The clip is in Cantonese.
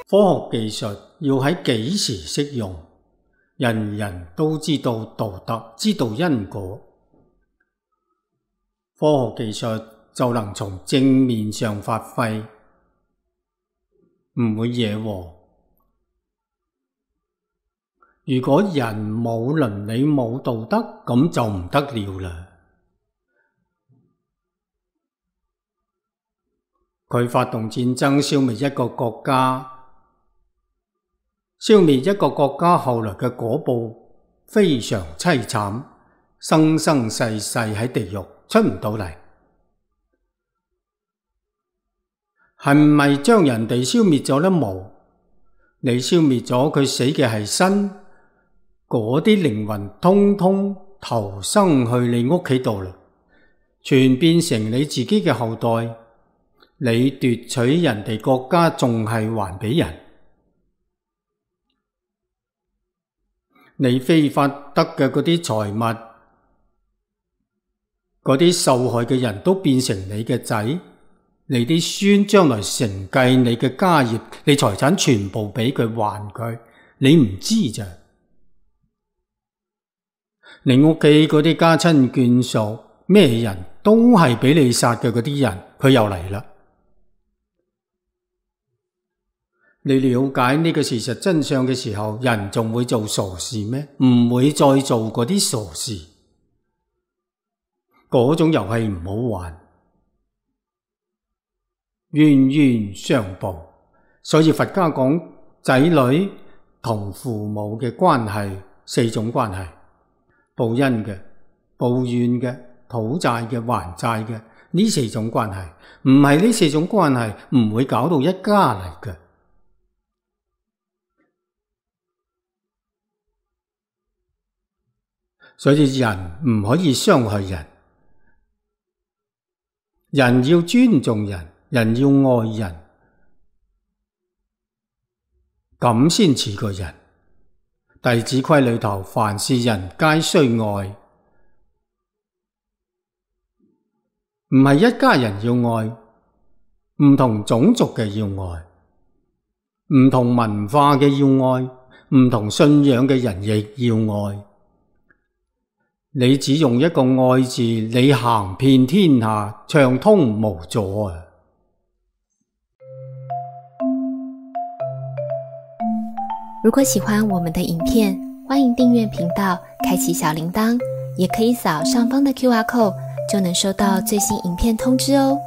科學技術要喺幾時適用？人人都知道道德，知道因果。科學技術就能從正面上發揮，唔會惹禍。如果人冇倫理冇道德，咁就唔得了啦。佢發動戰爭消滅一個國家，消滅一個國家後來嘅果報非常淒慘，生生世世喺地獄出唔到嚟。係唔係將人哋消滅咗呢？冇，你消滅咗佢，死嘅係身，嗰啲靈魂通通投生去你屋企度啦，全變成你自己嘅後代。你奪取人哋國家，仲係還俾人。你非法得嘅嗰啲財物，嗰啲受害嘅人都變成你嘅仔，你啲孫將來承繼你嘅家業，你財產全部俾佢還佢，你唔知咋？你屋企嗰啲家親眷屬，咩人都係俾你殺嘅嗰啲人，佢又嚟啦。你了解呢個事實真相嘅時候，人仲會做傻事咩？唔會再做嗰啲傻事。嗰種遊戲唔好玩，冤冤相報。所以佛家講仔女同父母嘅關係四種關係：報恩嘅、報怨嘅、討債嘅、還債嘅。呢四種關係，唔係呢四種關係唔會搞到一家嚟嘅。所以人唔可以傷害人，人要尊重人，人要愛人，咁先似個人。弟子規裏頭，凡是人皆須愛，唔係一家人要愛，唔同種族嘅要愛，唔同文化嘅要愛，唔同信仰嘅人亦要愛。你只用一個愛字，你行遍天下，暢通無阻啊！如果喜歡我們的影片，歡迎訂閱頻道，開啟小鈴鐺，也可以掃上方的QR code，就能收到最新影片通知哦。